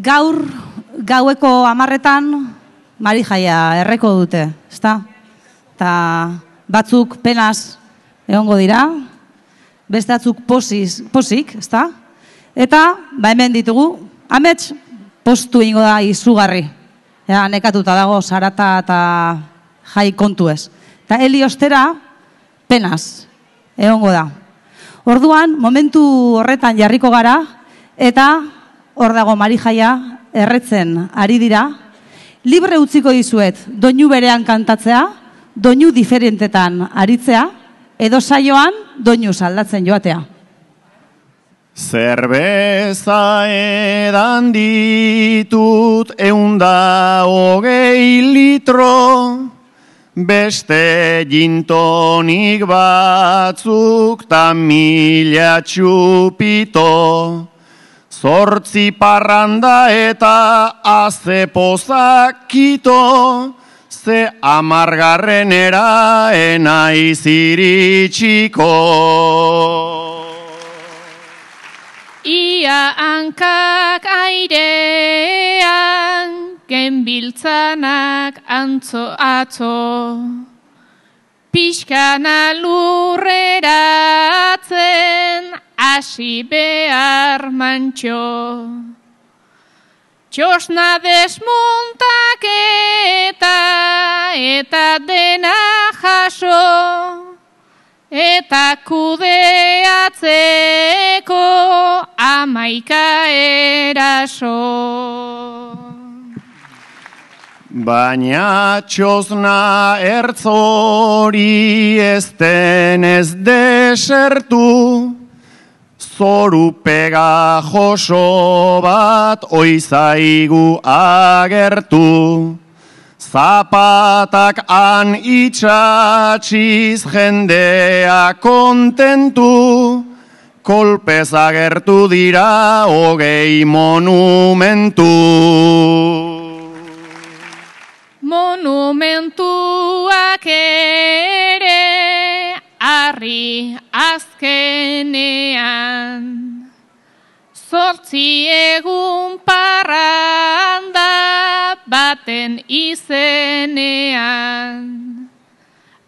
gaur gaueko 10:00 Marijaia erreko dute, ezta? Ta batzuk penaz egongo dira, beste batzuk posik, ezta? Eta, hemen ditugu, amets postu ingo da izugarri. Nekatuta dago, sarata eta jai kontu ez. Eta heli ostera, penaz egongo da. Orduan, momentu horretan jarriko gara, eta hor dago Marijaia erretzen ari dira. Libre utziko dizuet, doinu berean kantatzea, doinu diferentetan aritzea, edo saioan doinu aldatzen joatea. Zerbeza edan ditut 120 litro, beste gintonik batzuk ta 1000 txupito. 8 parranda eta azepozak kito, ze 10. enaiz iritsiko. Ia hankak airean, genbiltzanak atzo, pixkana lurreratzen, hasi behar mantxo. Txosna desmontaketa eta dena jaso, eta kudeatzeko 11 eraso. Baina txosna ertzori ez denez desertu, zoru pegajoso bat oizaigu agertu. Zapatak han itxatxiz jendea kontentu, kolpez agertu dira 20 monumentu. Monumentuak ere harri azkenean, 8 egun parranda baten izenean.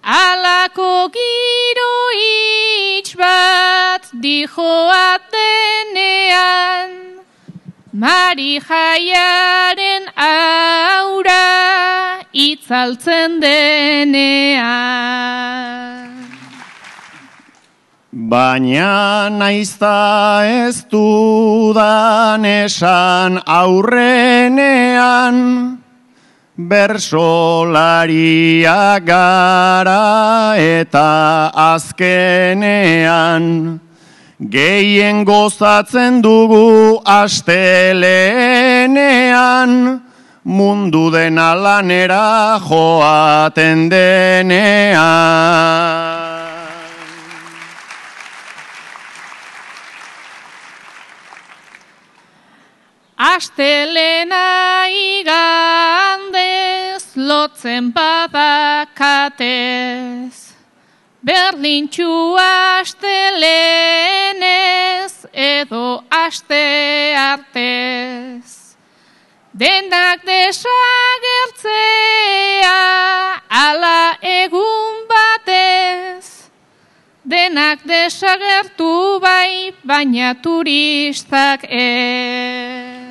Alako giro itx bat dijoatenean, Marijaiaren aura itzaltzen denean. Baina naizta ez dudan esan aurrenean, bersolaria gara eta azkenean, gehien gozatzen dugu astelenean, mundu dena lanera joaten denean. Astelena igandez lotzen badakatez, berdintxu astelenez edo aste artez. Denak desagertzea ala egun batez, denak desagertu bai, baina turistak ez.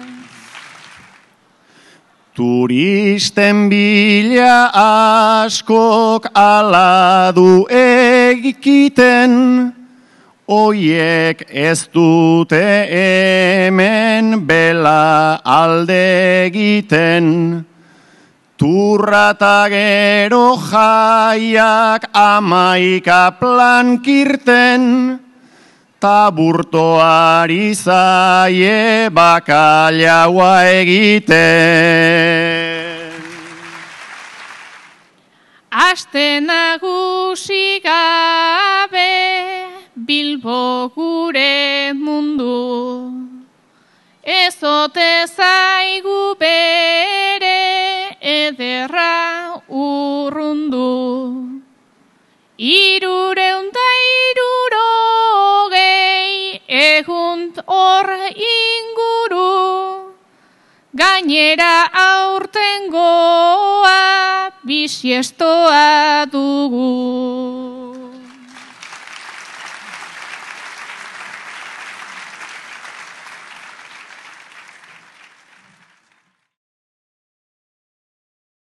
Turisten bila askok ala du egiten, oiek ez dute hemen bela alde egiten. Turra eta gero jaiak 11 plankirten, taburtoari zaie bakalaua egiten. Aste nagusi gabe Bilbo gure mundu, ez ote zaigu bere ederra urrundu. 360 egun hor inguru, gainera aurtengoa bisiestoa dugu.